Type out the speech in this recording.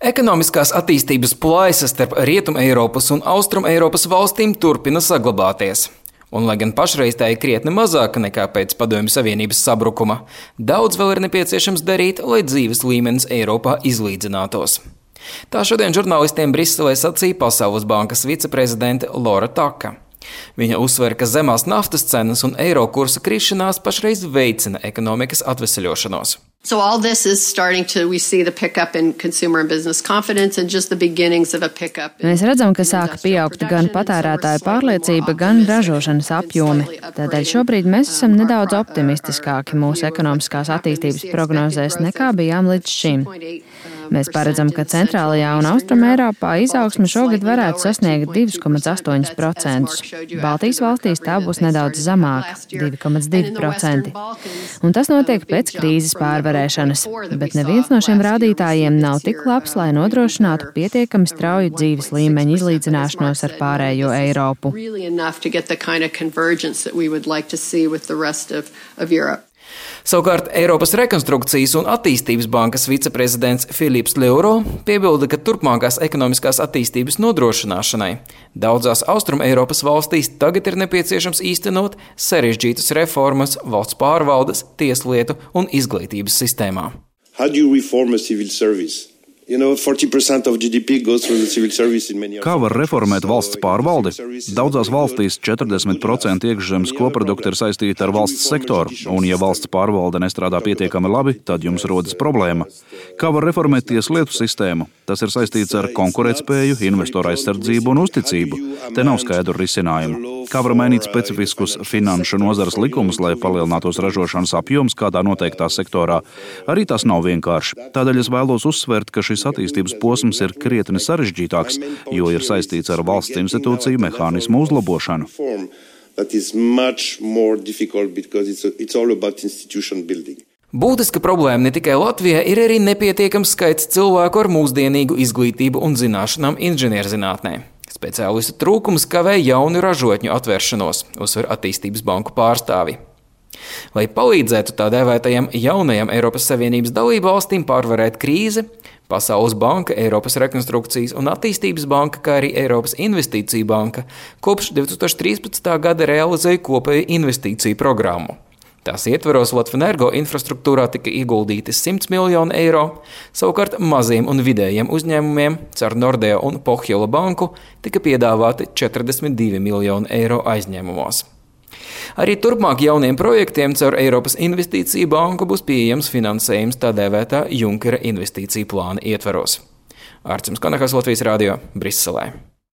Ekonomiskās attīstības plaisas starp Rietum-Eiropas un Austrum-Eiropas valstīm turpina saglabāties. Un, lai gan pašreiz tā ir krietni mazāka nekā pēc Padomju Savienības sabrukuma, daudz vēl ir nepieciešams darīt, lai dzīves līmenis Eiropā izlīdzinātos. Tā šodien žurnālistiem Briselē sacīja Pasaules bankas viceprezidente Laura Taka. Viņa uzsver, ka zemās naftas cenas un eiro kursa krišanās pašreiz veicina ekonomikas atveseļošanos. So all this is starting to, we see the pickup in consumer and business confidence and just the beginnings of a pickup. Mēs redzam, ka sāka pieaugt gan patērētāju pārliecība, gan ražošanas apjomi. Tādēļ šobrīd mēs esam nedaudz optimistiskāki mūsu ekonomiskās attīstības prognozēs nekā bijām līdz šim. Mēs paredzam, ka centrālajā un Austrumeiropā izaugsme šogad varētu sasniegt 2,8%. Baltijas valstīs tā būs nedaudz zemāka – 2,2%. Un tas notiek pēc krīzes pārvarēšanas, bet neviens no šiem rādītājiem nav tik labs, lai nodrošinātu pietiekami strauju dzīves līmeņa izlīdzināšanos ar pārējo Eiropu. Savukārt Eiropas rekonstrukcijas un attīstības bankas viceprezidents Philips Leuro piebilda, ka turpmākās ekonomiskās attīstības nodrošināšanai daudzās Austrum-Eiropas valstīs tagad ir nepieciešams īstenot sarežģītas reformas valsts pārvaldes, tieslietu un izglītības sistēmā. Kā var reformēt valsts pārvaldi? Daudzās valstīs 40% iekšzemes koprodukta ir saistīta ar valsts sektoru, un ja valsts pārvalde nestrādā pietiekami labi, tad jums rodas problēma. Kā var reformēt tieslietu sistēmu? Tas ir saistīts ar konkurētspēju, investoru aizsardzību un uzticību. Te nav skaidru risinājumu. Kā var mainīt specifiskus finanšu nozares likumus, lai palielinātos ražošanas apjoms kādā noteiktā sektorā? Arī tas nav vienkārši. Tādēļ es vēlos uzsvērt, ka šis attīstības posms ir krietni sarežģītāks, jo ir saistīts ar valsts institūciju mehānismu uzlabošanu. Būtiska problēma ne tikai Latvijā, ir arī nepietiekams skaits cilvēku ar mūsdienīgu izglītību un zināšanām inženierzinātnē. Speciālistu trūkums kavē jaunu ražotņu atvēršanos, uzsver attīstības banku pārstāvi. Lai palīdzētu tā dēvētajam jaunajam Eiropas Savienības dalību valstīm pārvarēt krīzi, Pasaules banka, Eiropas rekonstrukcijas un attīstības banka, kā arī Eiropas investīcija banka kopš 2013. gada realizēja kopēju investīciju programmu. Tās ietveros Latvenergo infrastruktūrā tika ieguldīti 100 miljoni eiro, savukārt maziem un vidējiem uzņēmumiem caur Nordea un Pohjola banku tika piedāvāti 42 miljoni eiro aizņēmumos. Arī turpmāk jauniem projektiem caur Eiropas investīciju banku būs pieejams finansējums tā dēvētā Junkera investīciju plāna ietveros. Ārcims Kanahas, Latvijas radio, Briselē.